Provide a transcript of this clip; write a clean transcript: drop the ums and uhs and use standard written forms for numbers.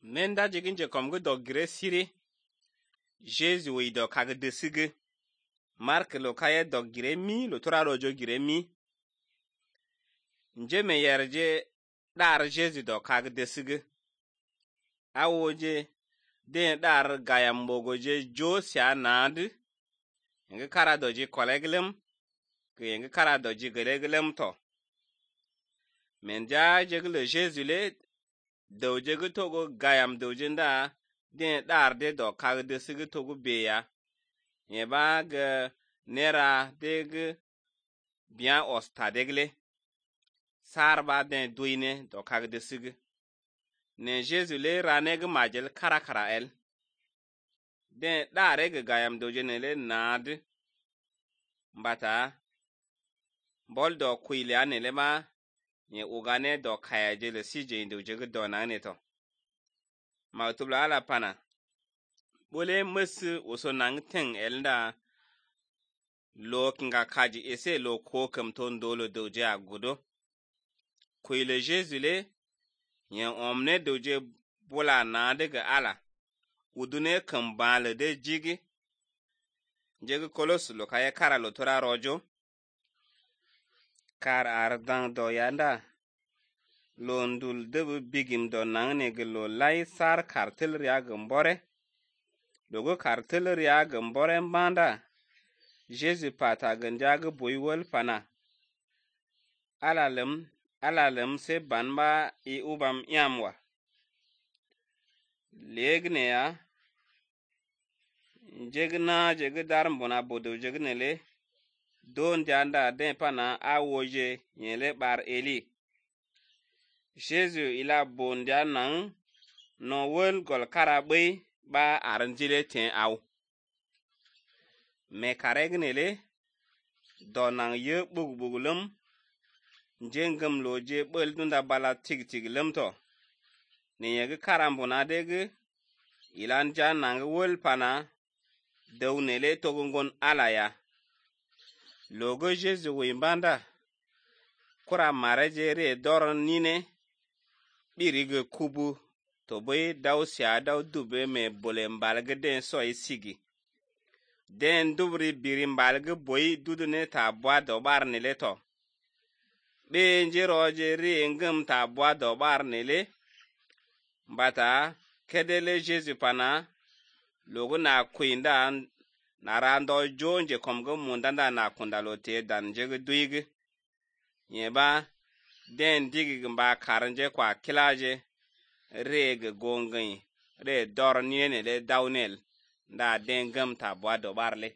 Nenda jigin je kom do gire siri Jésus wi do kag de sige Mark lo kaye do gire mi lo tora rojo gire mi nje me yerje dar Jésus do kag de sige awoje den dar gayam bogoje jo sia nad nge kara doji koleglem ke nge kara doji geleglem to menja jegle Jésus le doje go togo gayam doje nda den dar de do kag de sige togo beya ye ba ge nera deg bien osta degle sarba den duine do kag de sige ne Jésus le raneg majel karakara el den dare ge gayam doje ne le nad mbata bol do kuile ane le ma ye ugane do kayaje le sije doje ge do na ne to ma tubla ala pana bole mus uso nang teng elda lo kinga kaji ese lo ko kam ton dolo doje agudo kuile Jésus le ye omne doje bola na de ge ala udune kan bale de jigi jege kolos lo kaya kara lo tora rojo kar ardan do yanda lo ndul de bigim do nangne ge lo lai sar kartel ria gambore logo kartel ria gambore mbanda Jésus pata ganja ge boywol pana alalem se banba I ubam yamwa legne ya jege dar mbona bodo jegne le don janda den pana awoje yele bar eli Jésus ila bondia nang no wol gol karabe ba aranjile ten aw me karegne le donang ye bugbugulum jengam loje bel dunda bala tig lemto ne yege karambona dege ilan janang wol pana dawnele togungon alaya logo Jésus wimbanda kura marejere doron nine birige kubu to boy daw sia daw dube me bole mbalge den soy sigi den dubri biri mbalge boy dudune ta bwa do bar nele to be njeroje ri ngam ta bwa do bar nele mbata kedele Jésus pana logo na kuinda na rando jonje komgo mundanda na kundalo te dan jege duige yeba den digi mba karanje kwa kilaje rege gongai re dor niene le dawnel nda den gam ta bwa do barle